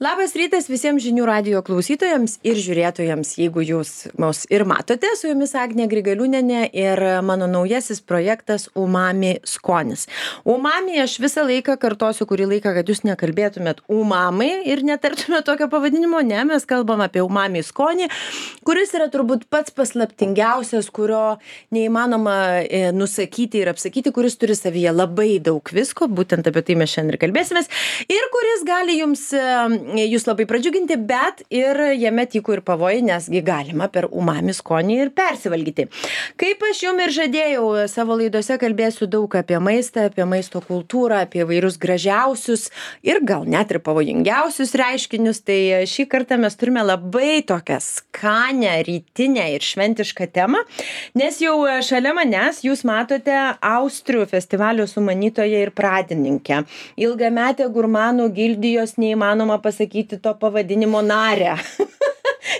Labas rytas visiems žinių radijo klausytojams ir žiūrėtojams, jeigu jūs mus ir matote, su jumis Agnė Grigaliūnienė ir mano naujasis projektas Umami skonis. Umami aš visą laiką kartosiu kurį laiką, kad jūs nekalbėtumėt umami ir netartumėt tokio pavadinimo, ne, mes kalbam apie umami skonį, kuris yra turbūt pats paslaptingiausias, kurio neįmanoma nusakyti ir apsakyti, kuris turi savyje labai daug visko, būtent apie tai mes šiandien ir kalbėsimės, ir kuris gali jūs labai pradžiuginti, bet ir jame tyko ir pavojai, nesgi galima per umami skonį ir persivalgyti. Kaip aš jums ir žadėjau, savo laidose kalbėsiu daug apie maistą, apie maisto kultūrą, apie vairius gražiausius ir gal net ir pavojingiausius reiškinius. Tai šį kartą mes turime labai tokią skanę, rytinę ir šventišką temą, nes jau šalia manęs jūs matote Austrių festivalio sumanytoją ir pradininkę, ilgametę gurmanų gildijos neįmanoma pasakyti to pavadinimo narę.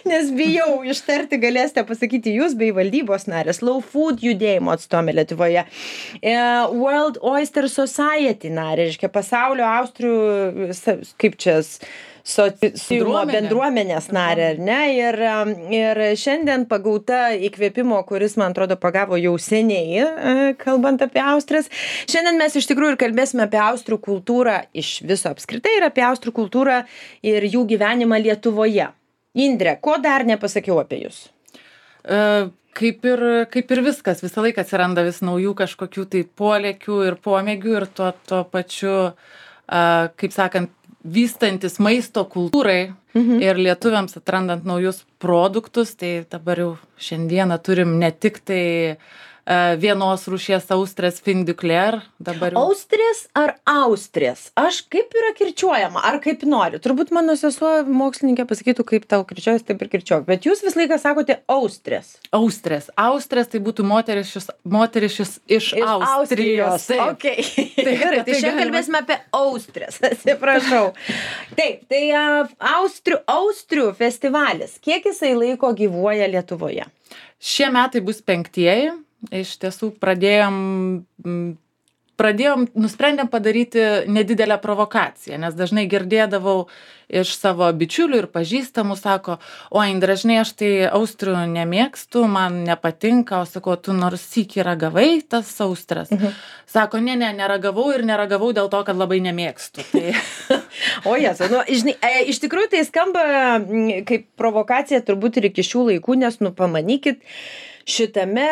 Nes bijau ištarti, galėsite pasakyti jūs bei valdybos narė, Slow Food judėjimo atstovė Lietuvoje, World Oyster Society narė, reiškia pasaulio Austrių, kaip čia, bendruomenės narė, ar ne? Ir šiandien pagauta įkvėpimo, kuris, man atrodo, pagavo jau seniai, kalbant apie Austrijas. Šiandien mes iš tikrųjų ir kalbėsime apie Austrių kultūrą iš viso apskritai ir apie Austrių kultūrą ir jų gyvenimą Lietuvoje. Indre, ko dar nepasakiau apie jūs? Kaip ir viskas, visą laiką atsiranda vis naujų kažkokių tai polėkių ir pomėgių ir tuo pačiu, kaip sakant, vystantis maisto kultūrai ir lietuviams atrandant naujus produktus, tai dabar jau šiandieną turim ne tik tai vienos rūšies austrės fin du Clair. Austrės ar austrės? Aš kaip yra kirčiuojama, ar kaip nori? Turbūt mano sesuo mokslininkė pasakytų, kaip tau kirčiuojas, taip ir kirčiuok. Bet jūs visą laiką sakote austrės. Austrės. Austrės tai būtų moterišis iš Austrijos. Okay. Tai gerai, tai šiandien kalbėsime apie austrės. Atsiprašau. Taip, tai Austrių festivalis. Kiek jisai laiko gyvuoja Lietuvoje? Šie metai bus 5. Iš tiesų nusprendėm padaryti nedidelę provokaciją, nes dažnai girdėdavau iš savo bičiulių ir pažįstamų, sako, o Indre, žinai, aš tai austrių nemėgstu, man nepatinka, o sako, tu nors sykį ragavai tas austras. Sako, neragavau ir neragavau dėl to, kad labai nemėgstu. Tai... O jas, žinai, iš tikrųjų tai skamba kaip provokacija turbūt ir iki šių laikų, nes pamanykit, šitame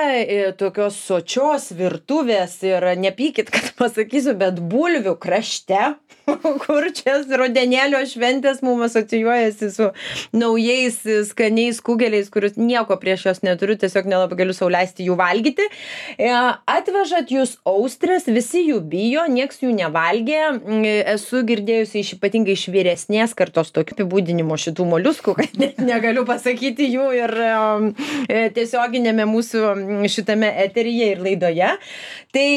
tokios sočios virtuvės ir nepykit, kad pasakysiu, bet bulvių krašte, kur čia rudenėlio šventės mums asocijuojasi su naujais skaniais kugeliais, kurius nieko prieš jos neturiu, tiesiog nelabai galiu sau leisti jų valgyti. Atvežat jūs austrės, visi jų bijo, nieks jų nevalgė. Esu girdėjusi ypatingai iš vyresnės kartos tokių apibūdinimo šitų moliuskų, kad net negaliu pasakyti jų ir tiesioginėme mūsų šitame eteryje ir laidoje. Tai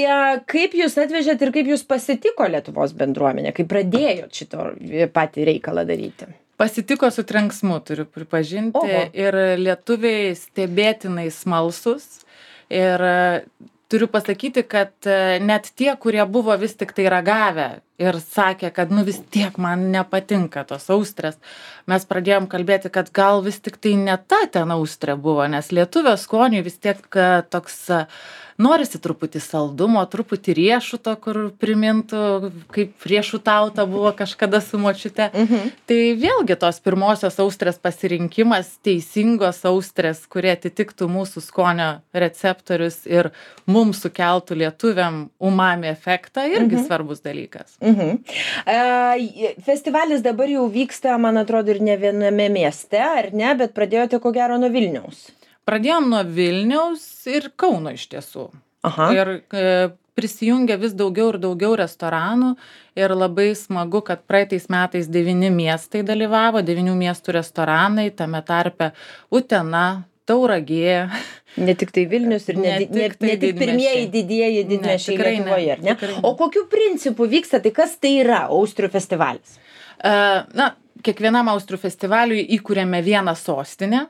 kaip jūs atvežėt ir kaip jūs pasitiko Lietuvos bendruomenė, kaip pradėjot šito patį reikalą daryti? Pasitiko su trenksmu, turiu pripažinti. Oho. Ir lietuviai stebėtinai smalsus. Ir turiu pasakyti, kad net tie, kurie buvo vis tik tai ragavę ir sakė, kad vis tiek man nepatinka tos austrės, mes pradėjom kalbėti, kad gal vis tik tai ne ta ten austrė buvo, nes lietuvio skoniui vis tiek toks norisi truputį saldumo, truputį riešuto, kur primintų, kaip riešutauta buvo kažkada su močiute. Tai vėlgi tos pirmosios austrės pasirinkimas, teisingos austrės, kurie atitiktų mūsų skonio receptorius ir mums sukeltų lietuviam umami efektą, irgi svarbus dalykas. Festivalis dabar jau vyksta, man atrodo, ir ne viename mieste, ar ne, bet pradėjote ko gero nuo Vilniaus. Pradėjom nuo Vilniaus ir Kauno iš tiesų. Aha. Ir prisijungia vis daugiau ir daugiau restoranų ir labai smagu, kad praeitais metais 9 miestai dalyvavo, 9 miestų restoranai, tame tarpe Utena, Tauragė. Ne tik tai Vilnius ir ne tik pirmieji didieji didmiesčiai Lietuvoje, ar ne? O kokiu principu vyksta, tai kas tai yra Austrių festivalis? Kiekvienam Austrių festivaliui įkūrėme vieną sostinę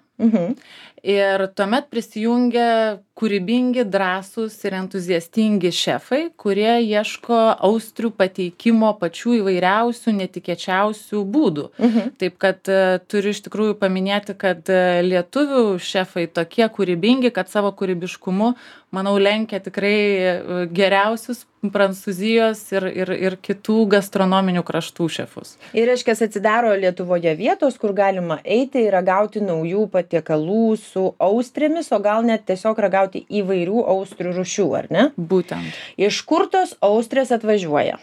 ir tuomet prisijungia kūrybingi, drąsūs ir entuziastingi šefai, kurie ieško austrių pateikimo pačių įvairiausių, netikėčiausių būdų. Taip kad turiu iš tikrųjų paminėti, kad lietuvių šefai tokie kūrybingi, kad savo kūrybiškumu, manau, lenkia tikrai geriausius Prancūzijos ir kitų gastronominių kraštų šefus. Ir reiškia, atsidaro Lietuvoje vietos, kur galima eiti ir ragauti naujų patiekalų su austrėmis, o gal net tiesiog ragauti įvairių austrių rūšių, ar ne? Būtent. Iš kur tos austrės atvažiuoja?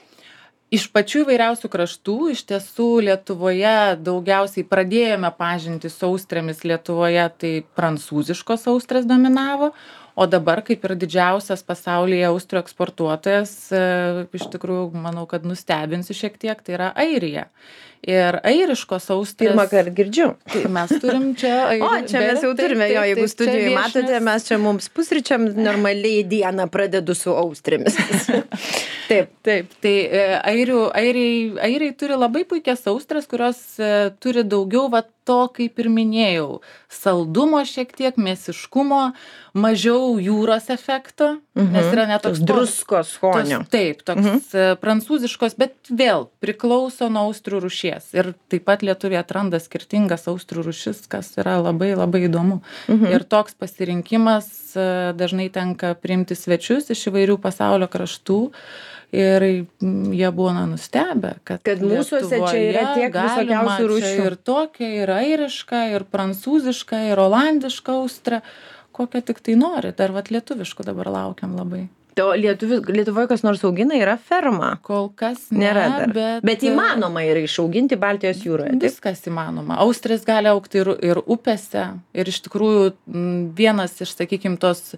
Iš pačių įvairiausių kraštų, iš tiesų Lietuvoje daugiausiai pradėjome pažinti su austrėmis Lietuvoje, tai prancūziškos austrės dominavo, o dabar kaip ir didžiausias pasaulyje austrių eksportuotojas, iš tikrųjų, manau, kad nustebinsiu šiek tiek, tai yra Airija. Ir airiškos austrės... Pirmą kartą girdžiu. Tai mes turim čia... O, čia mes jau turime, jo, jeigu studijoje matote, mes čia mums pusryčiam normaliai dieną pradedu su austrėmis. Taip. Tai airiai turi labai puikias austrės, kurios turi daugiau to, kaip ir minėjau, saldumo šiek tiek, mėsiškumo, mažiau jūros efekto, nes yra net toks druskos skonio. Taip, toks prancūziškos, bet vėl priklauso nuo austrių rūšies. Ir taip pat lietuviai atranda skirtingas austrių rūšis, kas yra labai labai įdomu. Ir toks pasirinkimas dažnai tenka priimti svečius iš įvairių pasaulio kraštų. Ir jie buvo nustebę, kad mūsuose čia yra tiek visokiausių rūšių. Ir tokia, ir airiška, ir prancūziška, ir olandiška austra, kokią tik tai nori. Dar lietuviškų dabar laukiam labai. O Lietuvoje kas nors augina, yra ferma? Kol kas ne, nėra dar. Bet įmanoma yra išauginti Baltijos jūroje. Viskas įmanoma. Austrės gali augti ir upėse. Ir iš tikrųjų vienas iš, sakykime, tos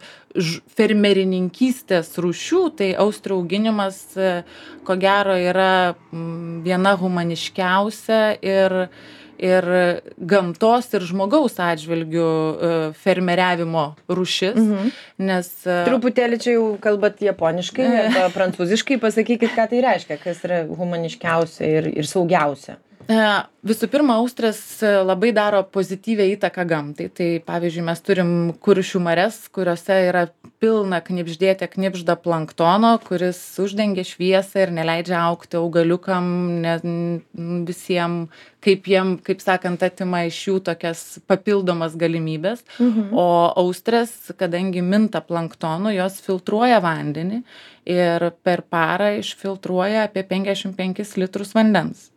fermerininkystės rūšių, tai austrių auginimas, ko gero, yra viena humaniškiausia ir gamtos ir žmogaus atžvilgių fermeriavimo rūšis, nes... Truputėlį čia jau kalbat japoniškai, arba prancūziškai, pasakykit, ką tai reiškia, kas yra humaniškiausia ir saugiausia. Visų pirma, austrės labai daro pozityvią įtaką gamtai. Tai pavyzdžiui, mes turim Kuršių marias, kuriuose yra pilna knibžda planktono, kuris uždengia šviesą ir neleidžia augti augaliukam, visiems, kaip sakant, atima iš jų tokias papildomas galimybės. O austrės, kadangi minta planktonu, jos filtruoja vandenį ir per parą išfiltruoja apie 55 litrus vandens.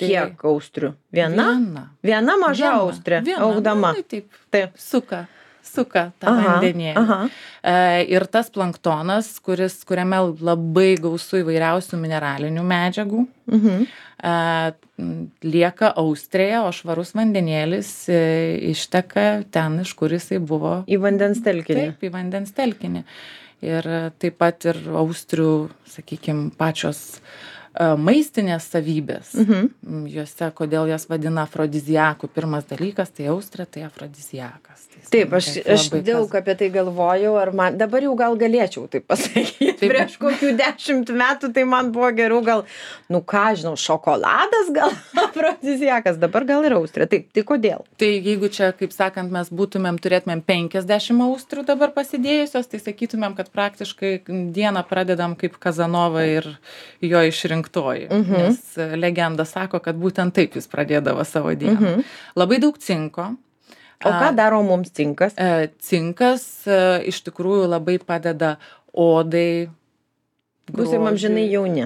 Kiek austrių? Viena maža austrė augdama. Taip. Suka tą vandenėlį. Ir tas planktonas, kuriame labai gausu įvairiausių mineralinių medžiagų, lieka austrėje, o švarus vandenėlis išteka ten, iš kur jisai buvo. Į vandens telkinį. Taip, į vandens telkinį. Ir taip pat ir austrių, sakykime, pačios maistinės savybės. Juose, kodėl jas vadina afrodiziakų. Pirmas dalykas, tai austrė, tai afrodiziakas. Taip, aš daug apie tai galvojau, dabar jau gal galėčiau taip pasakyti. Prieš kokių 10 metų tai man buvo geriau gal, šokoladas gal afrodiziakas, dabar gal ir austrė. Taip, tai kodėl? Tai jeigu čia, kaip sakant, mes turėtumėm 50 austrių dabar pasidėjusios, tai sakytumėm, kad praktiškai dieną pradedam kaip Kazanova ir jo išrinktoji. Nes legenda sako, kad būtent taip jis pradėdavo savo dieną. Labai daug cinko. O ką daro mums cinkas? Cinkas iš tikrųjų labai padeda odai. Būsim amžinai jauni.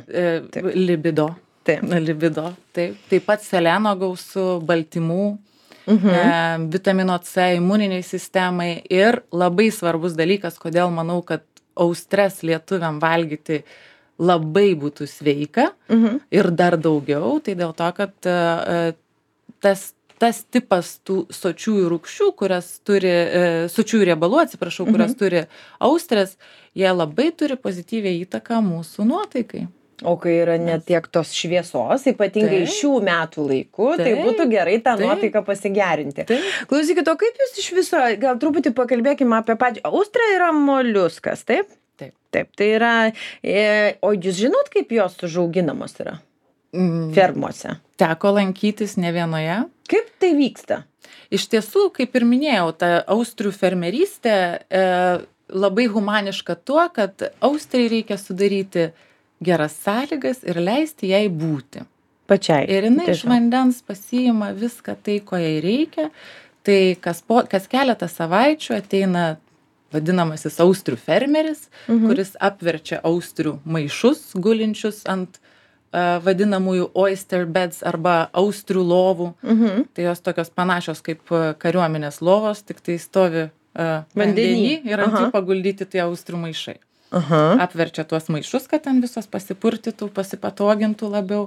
Libido. Taip pat seleno gausu, baltymų, vitamino C, imuniniai sistemai ir labai svarbus dalykas, kodėl manau, kad austres lietuviam valgyti labai būtų sveika ir dar daugiau, tai dėl to, kad tas tipas tų sočiųjų rūgščių, sočiųjų riebalų, kurias turi austrės, jie labai turi pozityvią įtaką mūsų nuotaikai. O kai yra net tiek tos šviesos, ypatingai šių metų laiku, tai būtų gerai tą nuotaiką pasigerinti. Klausykit, o kaip jūs iš viso, gal truputį pakalbėkime apie pačią. Austrė yra moliuskas, taip? Taip, tai yra, o jūs žinot, kaip jos užauginamos yra? fermose? Teko lankytis ne vienoje. Kaip tai vyksta? Iš tiesų, kaip ir minėjau, ta austrių fermerystė labai humaniška tuo, kad austrai reikia sudaryti geras sąlygas ir leisti jai būti. Pačiai. Ir jinai iš vandens pasiima viską tai, ko jai reikia. Tai kas keletą savaičių ateina vadinamasis austrių fermeris, kuris apverčia austrių maišus gulinčius ant vadinamųjų oyster beds arba austrių lovų. Tai jos tokios panašios kaip kariuomenės lovos, tik tai stovi vandenį ir ant jų paguldyti tie austrių maišai. Apverčia tuos maišus, kad ten visos pasipurtytų, pasipatogintų labiau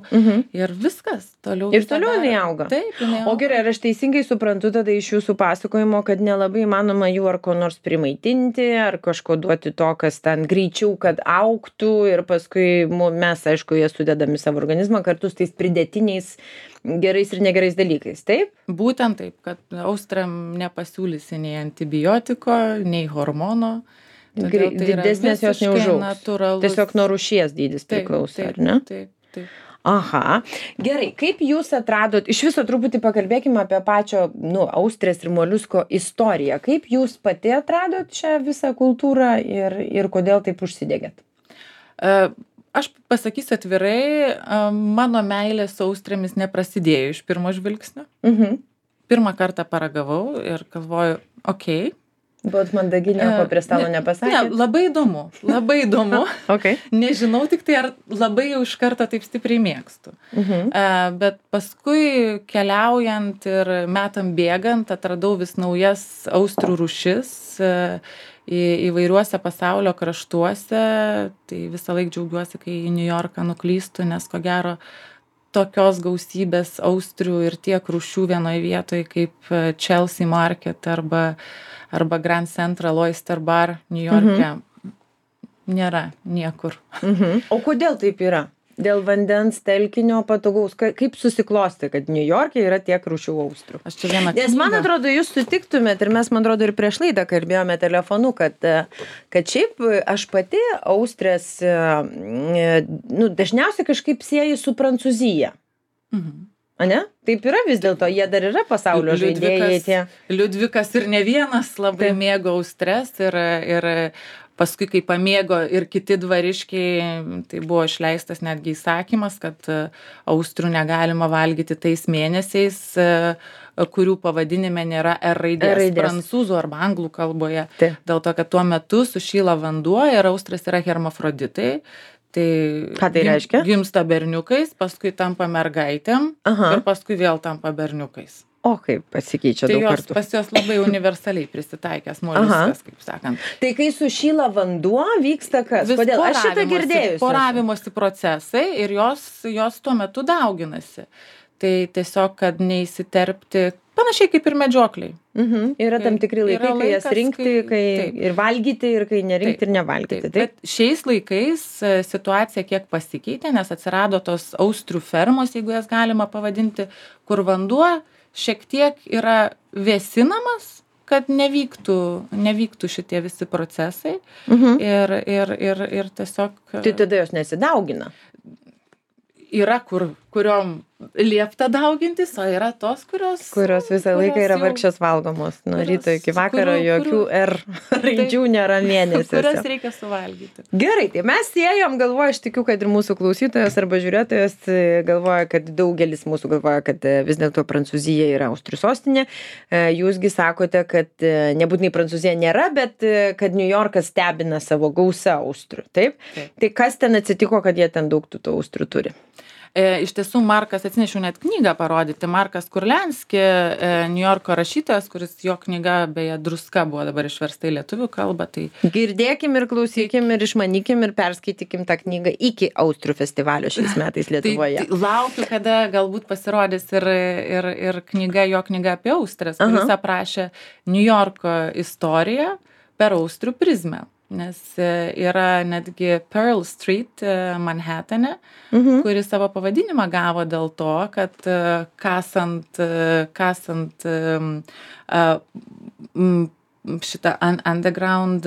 ir viskas. Toliau ir toliau jinai auga. Taip, jinai auga. O gerai, ar aš teisingai suprantu tada iš jūsų pasakojimo, kad nelabai įmanoma jų ar ko nors primaitinti, ar kažko duoti to, kas ten greičiau, kad augtų ir paskui mes, aišku, jie sudedami savo organizmą kartu su tais pridėtiniais gerais ir negerais dalykais, taip? Būtent taip, kad austriam nepasiūlysi nei antibiotiko, nei hormono. Didesnės jos neužaugs. Natūralus. Tiesiog nuo rūšies dydis priklauso, ar ne? Taip. Aha. Gerai, kaip jūs atradot, iš viso truputį pakalbėkime apie pačio, austrės ir moliusko istoriją. Kaip jūs pati atradot šią visą kultūrą ir kodėl taip užsidegėt? Aš pasakysiu atvirai, mano meilė su austrėmis neprasidėjo iš pirmo žvilgsnio. Pirmą kartą paragavau ir galvoju, okei. Buvot mandagi, nieko prie stalo nepasakėt? Ne, labai įdomu. Okay. Nežinau tik tai, ar labai jau iš karto taip stipriai mėgstu. Bet paskui keliaujant ir metam bėgant, atradau vis naujas austrių rūšis įvairiuose pasaulio kraštuose. Tai visą laiką džiaugiuosi, kai į New Yorką nuklystu, nes ko gero tokios gausybės austrių ir tiek rūšių vienoje vietoje kaip Chelsea Market arba Grand Central Oyster Bar New York'e nėra niekur. O kodėl taip yra? Dėl vandens telkinio patogaus, kaip susiklosti, kad New York'e yra tiek rūšių austrių? Aš čia vieną knygą. Nes man atrodo, jūs sutiktumėt, ir mes, man atrodo, ir prieš laidą kalbėjome telefonu, kad šiaip aš pati austrės, dažniausiai kažkaip sieju su Prancūzija. Ane? Taip yra vis dėlto, jie dar yra pasaulio žaidėjai tie. Liudvikas ir ne vienas labai mėgo austres ir paskui, kai pamėgo ir kiti dvariškiai, tai buvo išleistas netgi įsakymas, kad austrių negalima valgyti tais mėnesiais, kurių pavadinime nėra R raidės prancūzų arba anglų kalboje. Dėl to, kad tuo metu sušyla vanduo ir austrės yra hermafroditai. Ką tai reiškia? Gimsta berniukais, paskui tampa mergaitėm ir paskui vėl tampa berniukais. O kaip pasikeičia daug kartų. Pas jos labai universaliai prisitaikęs moliuskas, kaip sakant. Tai kai sušyla vanduo, vyksta kas? Kodėl? Aš šitą girdėjusi. Poravimosi procesai ir jos tuo metu dauginasi. Tai tiesiog, kad neįsiterpti, panašiai kaip ir medžiokliai. Yra tam tikri laikai, kai jas rinkti, kai ir valgyti, ir kai nerinkti ir nevalgyti. Bet šiais laikais situacija kiek pasikeitė, nes atsirado tos austrių fermos, jeigu jas galima pavadinti, kur vanduo šiek tiek yra vėsinamas, kad nevyktų šitie visi procesai. Ir tiesiog... Tai tada jos nesidaugina. Yra, kuriom liepta daugintis, o yra tos, kurios visą laiką yra vargšės valgomos. Nuo ryto iki vakaro jokių R raidžių nėra mėnesiuose. Kurias reikia suvalgyti. Gerai, tai mes siejom, galvoju, aš tikiu, kad ir mūsų klausytojas arba žiūrėtojas galvoja, kad daugelis mūsų galvoja, kad vis dėlto Prancūzija yra austrių sostinė. Jūsgi sakote, kad nebūtinai Prancūzija nėra, bet kad New Yorkas stebina savo gausą austrių. Taip? Tai kas ten atsitiko, kad jie ten daug tų austrių turi? Iš tiesų, atsinešiau net knygą parodyti. Markas Kurlianski, New Yorko rašytojas, kuris jo knyga, beje, Druska buvo dabar išversta į lietuvių kalbą. Tai... Girdėkim ir klausykim ir išmanykim ir perskaitykim tą knygą iki Austrių festivalio šiais metais Lietuvoje. Tai laukiu, kada galbūt pasirodys ir jo knyga apie Austrės, kuris aprašė New Yorko istoriją per austrių prizmę. Nes yra netgi Pearl Street Manhattane, kuri savo pavadinimą gavo dėl to, kad kasant šitą underground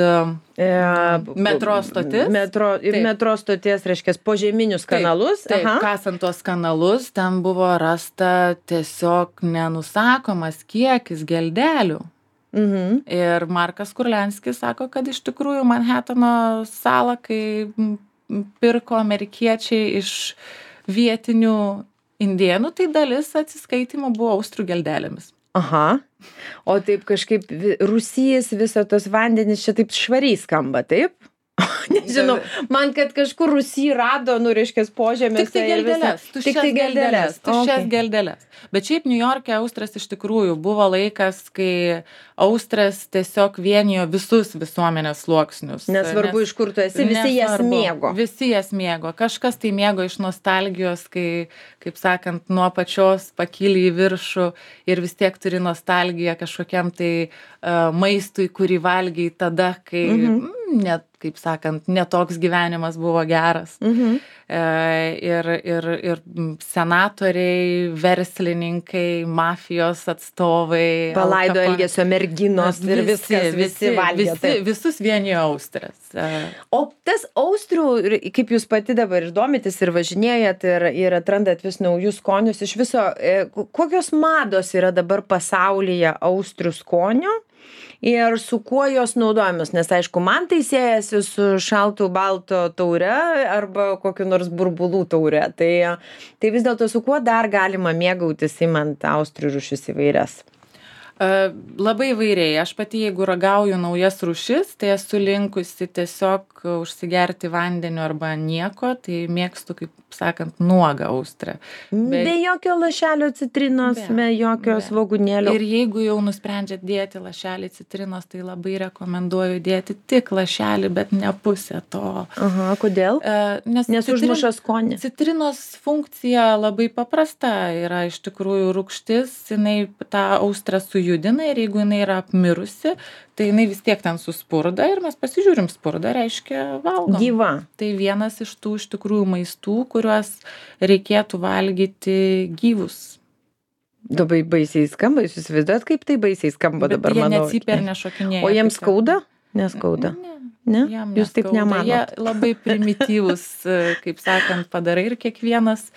metro stotis. Metro stoties, reiškia, požeminius kanalus. Taip, kasant tuos kanalus, ten buvo rasta tiesiog nenusakomas kiekis geldelių. Ir Markas Kurlianskis sako, kad iš tikrųjų Manhatano salą, kai pirko amerikiečiai iš vietinių indėnų, tai dalis atsiskaitimo buvo austrių geldelėmis. Aha. O taip kažkaip Rūsys, viso tos vandenys čia taip švariai skamba, taip? Nežinau, man kad kažkur Rūsy rado, reiškia, požemėse. Tuščias geldeles. Bet šiaip Niujorke Austras iš tikrųjų buvo laikas, kai Austras tiesiog vienijo visus visuomenės sluoksnius. Nesvarbu, iš kur tu esi, visi jas mėgo. Visi jas mėgo. Kažkas tai mėgo iš nostalgijos, kai, kaip sakant, nuo pačios pakyli į viršų ir vis tiek turi nostalgiją kažkokiam tai maistui, kurį valgiai tada, kai net, kaip sakant, netoks gyvenimas buvo geras. Ir senatoriai, verslininkai, mafijos atstovai. Palaido elgesio merginos ir visi valgė. Visus vienijo Austras. O tas austrių, kaip jūs pati dabar ir domitės ir važinėjat ir atrandat vis naujus skonius, iš viso, kokios mados yra dabar pasaulyje austrių skonio? Ir su kuo jos naudojamos, nes aišku, man tai siejasi su šaltų balto taure arba kokiu nors burbulų taure. Tai vis dėlto su kuo dar galima mėgautis imant austrių rūšis įvairias? Labai įvairiai. Aš pati, jeigu ragauju naujas rūšis, tai esu linkusi tiesiog užsigerti vandeniu arba nieko, tai mėgstu, kaip sakant, nuogą austrę. Be jokio lašelio citrinos, be jokio svogūnėlio. Ir jeigu jau nusprendžiat dėti lašelį citrinos, tai labai rekomenduoju dėti tik lašelį, bet ne pusę to. Aha, kodėl? Nes užmuša skonį. Citrinos funkcija labai paprasta. Yra iš tikrųjų rūgštis, jinai tą austrą sujudina ir jeigu jinai yra apmirusi, tai jinai vis tiek ten suspurda ir mes pasižiūrim, spurda reiškia valgom. Gyva. Tai vienas iš tų iš tikrųjų maistų, kuriuos reikėtų valgyti gyvus. Labai baisiai skamba, jūs įsivaizduojat, kaip tai baisiai skamba dabar, manau. Bet jie necypia ir nešokinėja. O jiems skauda? Neskauda. Ne? Jūs taip nemanot. Jie labai primityvus, kaip sakant, padarai ir kiekvienas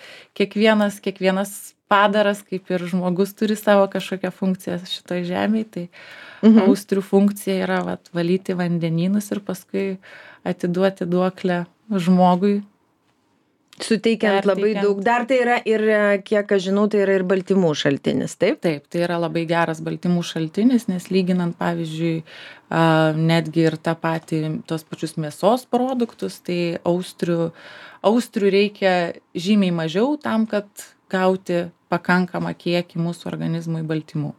padaras, kaip ir žmogus turi savo kažkokią funkciją šitoj žemėje, tai austrių funkcija yra valyti vandenynus ir paskui atiduoti duoklę žmogui. Suteikiant labai daug. Dar tai yra ir, kiek aš žinau, tai yra ir baltymų šaltinis, taip? Taip, tai yra labai geras baltymų šaltinis, nes lyginant, pavyzdžiui, netgi ir tą patį, tos pačius mėsos produktus, tai austrių reikia žymiai mažiau tam, kad gauti pakankamą kiekį mūsų organizmui baltymų.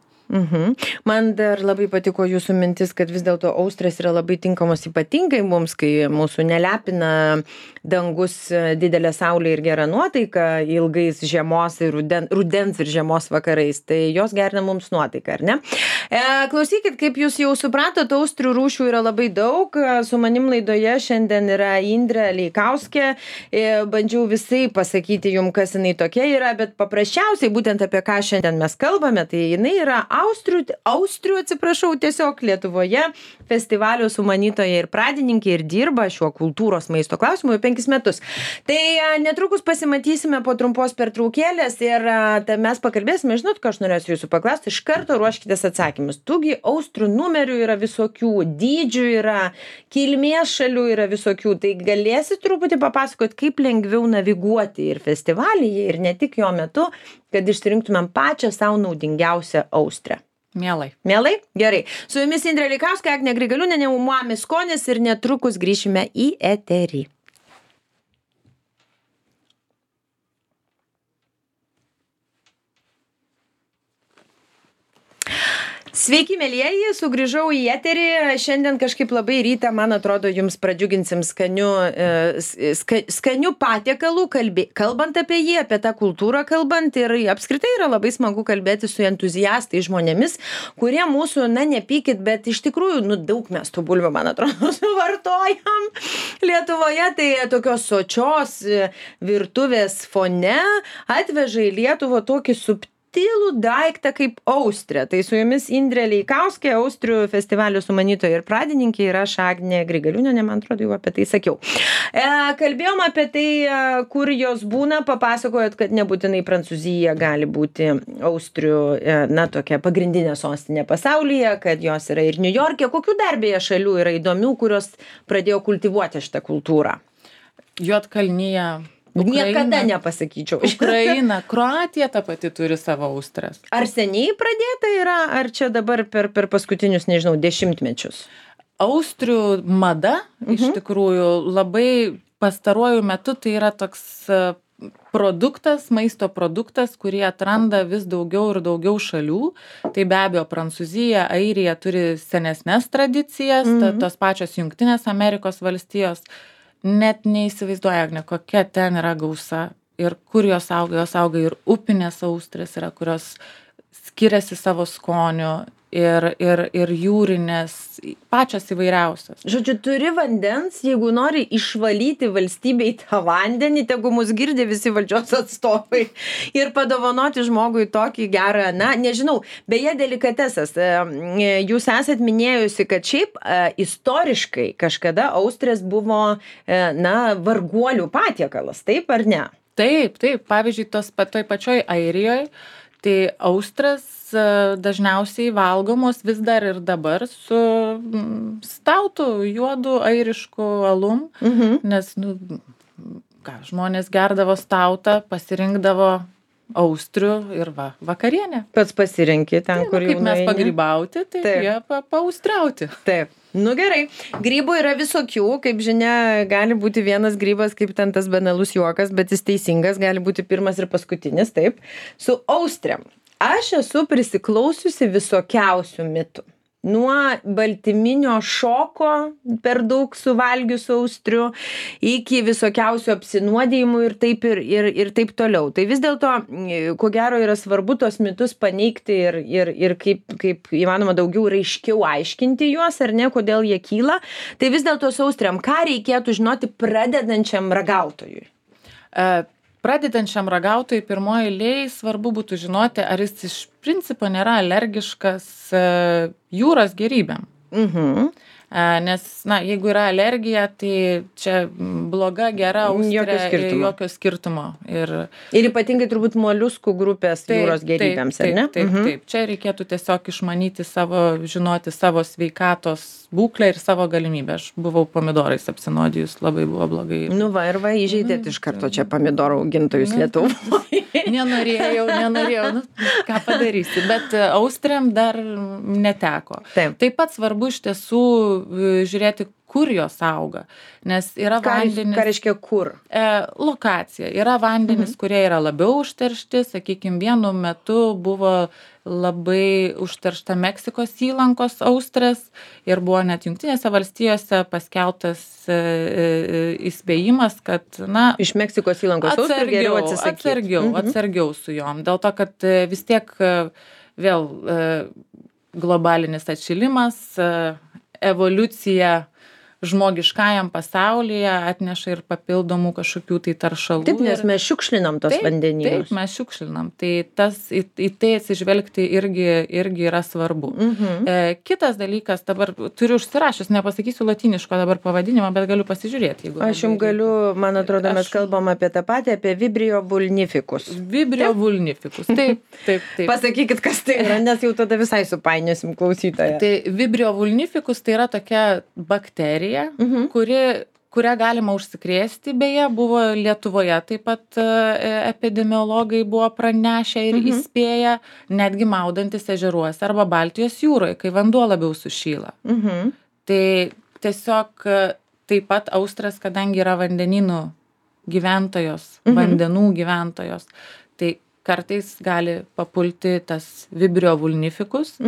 Man dar labai patiko jūsų mintis, kad vis dėlto austrės yra labai tinkamos ypatingai mums, kai mūsų nelepina dangus, didelė saulė ir gera nuotaika ilgais žiemos ir rudens ir žiemos vakarais, tai jos gerina mums nuotaiką, ar ne? Klausykit, kaip jūs jau supratot, austrių rūšių yra labai daug. Su manim laidoje šiandien yra Indrė Leikauskė. Bandžiau visai pasakyti jums, kas jinai tokia yra, bet paprasčiausiai būtent apie ką šiandien mes kalbame, tai jinai yra austrių, tiesiog Lietuvoje festivalio sumanytoja ir pradininkė ir dirba šiuo kultūros maisto klausimu jau 5 metus. Tai netrukus pasimatysime po trumpos pertraukėlės ir mes pakalbėsime, žinot, ką aš norėsiu jūsų paklausti, iš karto ruoškitės atsakymus. Tugi austrių numerių yra visokių, dydžių yra, kilmės šalių yra visokių, tai galėsit truputį papasakoti, kaip lengviau naviguoti ir festivalyje, ir ne tik jo metu, kad išsirinktumėm pačią savo naudingiausią austrę. Mielai. Mielai? Gerai. Su jumis Indrė Leikauskė, Agnė Grigaliūnienė, Umami skonis ir netrukus grįšime į eterį. Sveiki, mielieji, sugrįžau į eterį. Šiandien kažkaip labai rytą, man atrodo, jums pradžiuginsim skanių patiekalų, kalbant apie jį, apie tą kultūrą kalbant. Ir apskritai yra labai smagu kalbėti su entuziastai žmonėmis, kurie mūsų, nepykit, bet iš tikrųjų, daug mes tų bulvių, man atrodo, suvartojam Lietuvoje. Tai tokios sočios virtuvės fone atveža į Lietuvą tokį subtilų daiktą kaip austrė. Tai su jumis Indrė Leikauskė, Austrių festivalio sumanytoja ir pradininkė, ir aš Agnė Grigaliūnienė, man atrodo, jau apie tai sakiau. Kalbėjom apie tai, kur jos būna, papasakojot, kad nebūtinai Prancūzija gali būti Austrių, na, tokia pagrindinė sostinė pasaulyje, kad jos yra ir Niujorke. Kokių dar beje šalių yra įdomių, kurios pradėjo kultivuoti šitą kultūrą? Juodkalnija. Niekada nepasakyčiau. Ukraina, Kroatija ta pati turi savo austras. Ar seniai pradėta yra, ar čia dabar per paskutinius, nežinau, dešimtmečius? Austrių mada, iš tikrųjų, labai pastaruoju metu tai yra toks produktas, maisto produktas, kurį atranda vis daugiau ir daugiau šalių. Tai be abejo, Prancūzija, Airija turi senesnes tradicijas, tos pačios Jungtinės Amerikos valstijos. Net neįsivaizduoja, Agne, kokia ten yra gausa ir kur jos auga ir upinės austrės yra, kurios skiriasi savo skoniu ir jūrinės, pačios įvairiausios. Žodžiu, turi vandens, jeigu nori išvalyti valstybei tą vandenį, tegu mus girdi visi valdžios atstovai ir padovanoti žmogui tokį gerą, na, nežinau, beje, delikatesas. Jūs esat minėjusi, kad šiaip istoriškai kažkada austrės buvo, na, varguolių patiekalas, taip ar ne? Taip. Pavyzdžiui, toj pačioj Airijoje, tai austras dažniausiai valgomos vis dar ir dabar su stautu, juodu airišku alum, nes žmonės gerdavo stautą, pasirinkdavo austrių ir vakarienę. Pats pasirinki ten, kur jau kaip mes pagrybauti, tai jie paaustriauti. Taip. Nu gerai, grybų yra visokių, kaip žinia, gali būti vienas grybas, kaip ten tas banalus juokas, bet jis teisingas, gali būti pirmas ir paskutinis, taip. Su austrėm. Aš esu prisiklausiusi visokiausių mitų. Nuo baltyminio šoko per daug suvalgius austrių iki visokiausių apsinuodėjimų ir taip toliau. Tai vis dėlto, ko gero, yra svarbu tos mitus paneigti ir kaip įmanoma daugiau raiškiau aiškinti juos, ar ne, kodėl jie kyla. Tai vis dėlto su austriam, ką reikėtų žinoti pradedančiam ragautojui? Pradedančiam ragautojui pirmoji eilėj svarbu būtų žinoti, ar jis iš principo nėra alergiškas jūros gėrybėm. Nes, na, jeigu yra alergija, tai čia bloga, gera austrė, jokio skirtumo. Ir ypatingai turbūt moliuskų grupės jūros gėrybėms, ar ne? Taip. Čia reikėtų tiesiog žinoti savo sveikatos būklę ir savo galimybę. Aš buvau pomidorais apsinuodijus, labai buvo blogai. Nu va, įžeidėt iš karto čia pomidorų augintojus Lietuvoje. Nenorėjau, ką padarysi, bet austriam dar neteko. Taip pat svarbu iš tiesų žiūrėti, kur jos auga, nes yra vandenys... Ką reiškia kur? Lokacija. Yra vandenys, kurie yra labiau užteršti, sakykime, vienu metu buvo labai užteršta Meksikos įlankos austrės ir buvo net Jungtinėse valstijose paskelbtas įspėjimas, kad, na... Iš Meksikos įlankos austrės geriau atsisakyti. Atsargiau su jom. Dėl to, kad vis tiek vėl globalinis atšilimas, evoliucija žmogiškajam pasaulyje atneša ir papildomų kažkokių tai taršalų. Taip, nes mes šiukšlinam tos vandenynus. Taip, mes šiukšlinam. Tai į tai atsižvelgti irgi yra svarbu. Kitas dalykas, dabar turiu užsirašęs, nepasakysiu latiniško dabar pavadinimą, bet galiu pasižiūrėti. Aš jums galiu, man atrodo, mes kalbam apie tą patį, apie Vibrio vulnificus. Vibrio vulnificus, taip. Pasakykit, kas tai yra, nes jau tada visai supainiosim klausytoją. Tai Vibrio vulnificus tai yra tokia bakterija, kurią galima užsikrėsti, beje, buvo Lietuvoje, taip pat epidemiologai buvo pranešę ir įspėję, netgi maudantis ežeruose arba Baltijos jūroje, kai vanduo labiau sušyla. Tai tiesiog taip pat austras, kadangi yra vandenynų gyventojos, vandenų gyventojos, tai kartais gali papulti tas Vibrio vulnificus.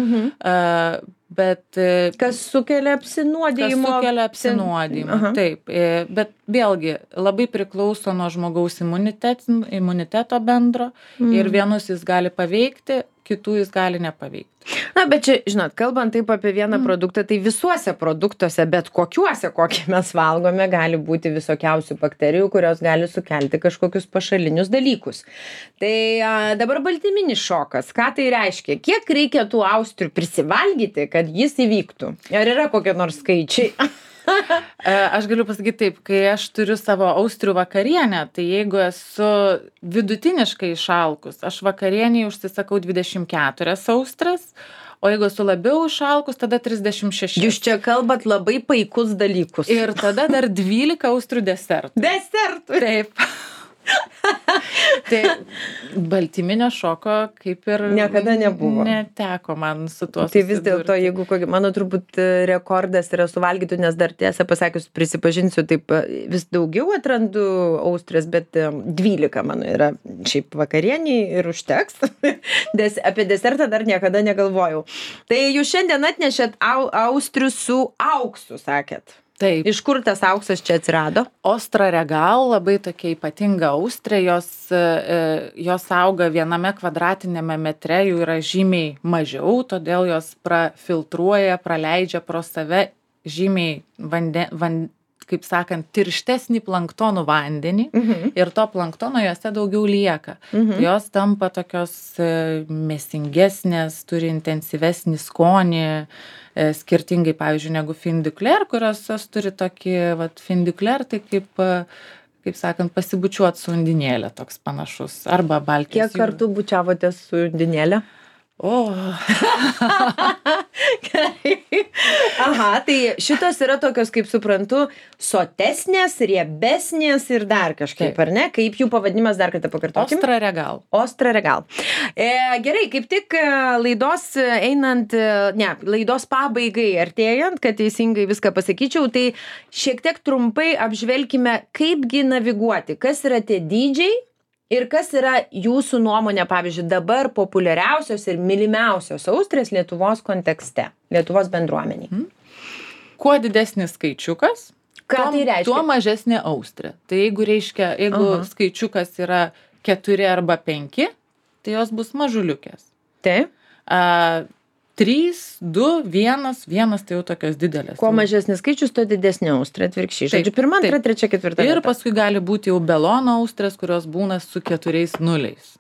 Bet kas sukelia apsinuodijimą. Taip. Bet vėlgi labai priklauso nuo žmogaus imuniteto bendro ir vienus jis gali paveikti, kitų jis gali nepaveikti. Na, bet čia, žinot, kalbant taip apie vieną produktą, tai visuose produktuose, bet kokiuose, kokį mes valgome, gali būti visokiausių bakterijų, kurios gali sukelti kažkokius pašalinius dalykus. Tai dabar baltyminis šokas, ką tai reiškia? Kiek reikia tų austrių prisivalgyti, kad jis įvyktų? Ar yra kokie nors skaičiai? Aš galiu pasakyti taip, kai aš turiu savo austrių vakarienę, tai jeigu esu vidutiniškai išalkus, aš vakarieniai užsisakau 24 austras, o jeigu esu labiau išalkus, tada 36. Jūs čia kalbat labai paikus dalykus. Ir tada dar 12 austrių desertų. Desertų? Taip. Tai baltyminio šoko kaip ir niekada nebuvo. Neteko man su tuo susidurti. Tai vis dėlto, jeigu mano turbūt rekordas yra suvalgytų, nes dar tiesą pasakius prisipažinsiu, taip vis daugiau atrandu austrės, bet 12 mano yra šiaip vakarieniai ir užteks. Apie desertą dar niekada negalvojau. Tai jūs šiandien atnešėt austrių su auksu, sakėt. Taip. Iš kur tas auksas čia atsirado? Ostra regal, labai tokia ypatinga austrė, jos auga 1 kvadratinėme metre, jų yra žymiai mažiau, todėl jos prafiltruoja, praleidžia pro save žymiai kaip sakant, tirštesnį planktonų vandenį ir to planktono jose daugiau lieka. Jos tampa tokios mėsingesnės, turi intensyvesnį skonį, skirtingai, pavyzdžiui, negu fin du clair, kurios turi tokį, fin du clair, tai kaip sakant, pasibučiuot su undinėlė toks panašus, arba Baltijos jūra. Kiek kartų bučiavote su undinėlė? Aha, tai šitos yra tokios, kaip suprantu, sotesnės, riebesnės ir dar kažkaip, ar ne? Kaip jų pavadinimas, dar kartą pakartokim? Ostra regal. Ostra regal. Gerai, kaip tik laidos pabaigai artėjant, kad teisingai viską pasakyčiau, tai šiek tiek trumpai apžvelkime, kaipgi naviguoti, kas yra tie dydžiai, ir kas yra jūsų nuomonė, pavyzdžiui, dabar populiariausios ir mylimiausios austrės Lietuvos kontekste, Lietuvos bendruomeniai? Kuo didesnis skaičiukas, tuo mažesnė austrė. Tai jeigu skaičiukas yra 4 arba 5, tai jos bus mažuliukės. Taip. 3, 2, 1 tai jau tokios didelės. Kuo mažesnis skaičius, tuo didesnė austrė, atvirkščiai. Žodžiu, 1, 2, 3, 4. Ir paskui gali būti jau belono austrės, kurios būna su 4 nuliais.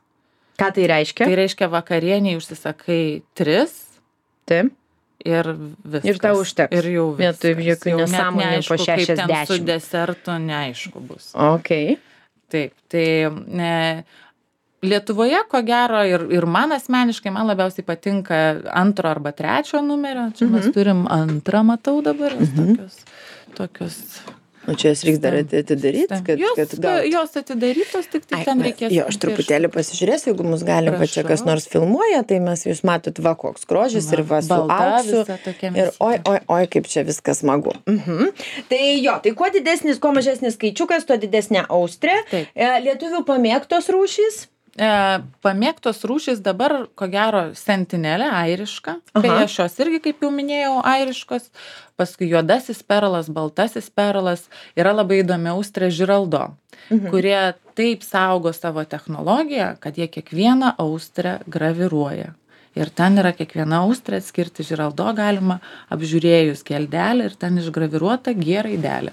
Ką tai reiškia? Tai reiškia vakarieniai užsisakai 3. Taip. Ir viskas. Ir tau užteks. Ir jau viskas. Vietoj jokių nesąmonių po 60. Kaip ten su desertu neaišku bus. Okay. Taip, tai Lietuvoje, ko gero, ir man asmeniškai, man labiausiai patinka 2 arba 3 numerio. Čia mes turim 2, matau dabar, tokios. O čia jas reiks dar atidaryti, kad jos atidarytos, tik ten reikės. Jo, aš truputėlį pasižiūrėsiu, jeigu mus galim, čia kas nors filmuoja, tai jūs matot, koks grožis ir su auksu. Ir oi, kaip čia viskas smagu. Tai tai kuo didesnis, kuo mažesnis skaičiukas, tuo didesnė austrė. Lietuvių pamėgtos rūšys? Pamėgtos rūšys dabar, ko gero, sentinelė, airiška. Beje, šios irgi, kaip jau minėjau, airiškos. Paskui juodasis perlas, baltasis perlas. Yra labai įdomi austrė Žiraldo, kurie taip saugo savo technologiją, kad jie kiekvieną austrę graviruoja. Ir ten yra kiekviena austrė atskirti Žiraldo galima apžiūrėjus geldelę ir ten išgraviruota G raidelė.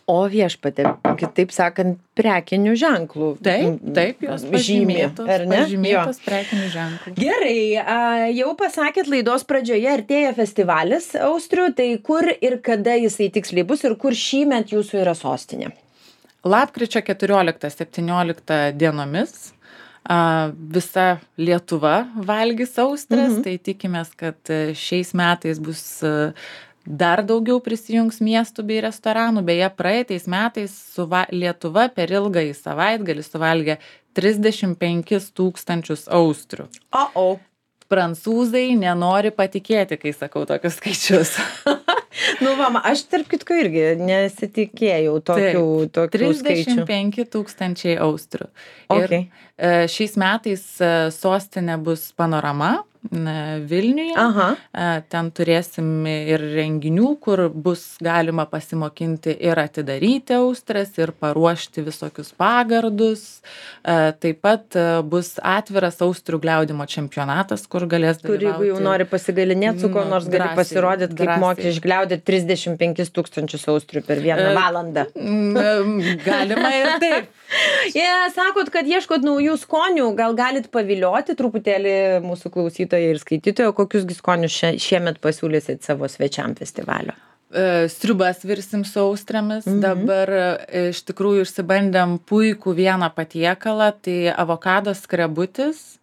O viešpatė, kitaip sakant, prekinių ženklų. Taip, jos pažymėtos prekinių ženklų. Gerai, jau pasakėt laidos pradžioje, artėja festivalis austrių, tai kur ir kada jisai tiksliai bus ir kur šįmet jūsų yra sostinė? Lapkričio 14-17 dienomis visa Lietuva valgys austrės, tai tikimės, kad šiais metais bus dar daugiau prisijungs miestų bei restoranų. Beje, praeitais metais Lietuva per ilgąjį savaitgalį suvalgė 35 000 austrių. Prancūzai nenori patikėti, kai sakau tokius skaičius. Aš tarp kitko irgi nesitikėjau tokių skaičių. 35 000 austrių. Ir šiais metais sostinė bus Panorama. Vilniuje. Ten turėsim ir renginių, kur bus galima pasimokinti ir atidaryti austres, ir paruošti visokius pagardus. Taip pat bus atviras austrių gliaudimo čempionatas, kur galės dalyvauti. Kur jeigu jau nori pasigalinėti su ko nors, gali pasirodyti, kaip moki išgliaudyti 35 000 austrių per vieną valandą. Galima ir taip. Sakot, kad ieškot naujų skonių, gal galit pavilioti truputėlį mūsų klausytojai ir skaitytojai, kokius skonius šiemet pasiūlysit savo svečiam festivalio? Sriubas virsim su austrėmis. Dabar iš tikrųjų išsibandėm puikų vieną patiekalą, tai avokado skrebutis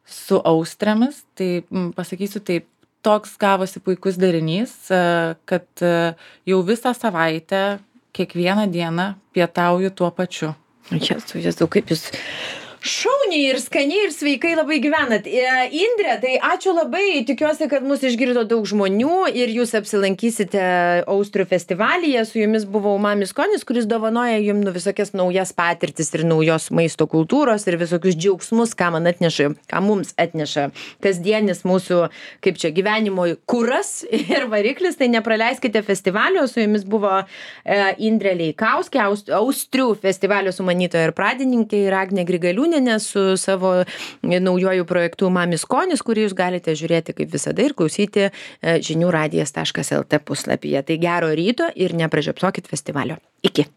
su austrėmis. Tai pasakysiu taip, toks gavosi puikus derinys, kad jau visą savaitę, kiekvieną dieną pietauju tuo pačiu. Jezu, kaip jūs šauniai ir skaniai ir sveikai labai gyvenat. Indrė, tai ačiū labai, tikiuosi, kad mus išgirdo daug žmonių ir jūs apsilankysite Austrių festivalyje. Su jumis buvo Umami skonis, kuris dovanoja jums visokias naujas patirtis ir naujos maisto kultūros ir visokius džiaugsmus, ką mums atneša kasdienis mūsų, kaip čia, gyvenimo kuras ir variklis. Tai nepraleiskite festivalio. Su jumis buvo Indrė Leikauskė, Austrių festivalio sumanytoja ir pradininkė, ir Agnė Grigaliūnė su savo naujoju projektu Umami skonis, kurį jūs galite žiūrėti kaip visada ir klausyti žiniųradijas.lt puslapyje. Tai gero ryto ir nepražiopsokit festivalio. Iki.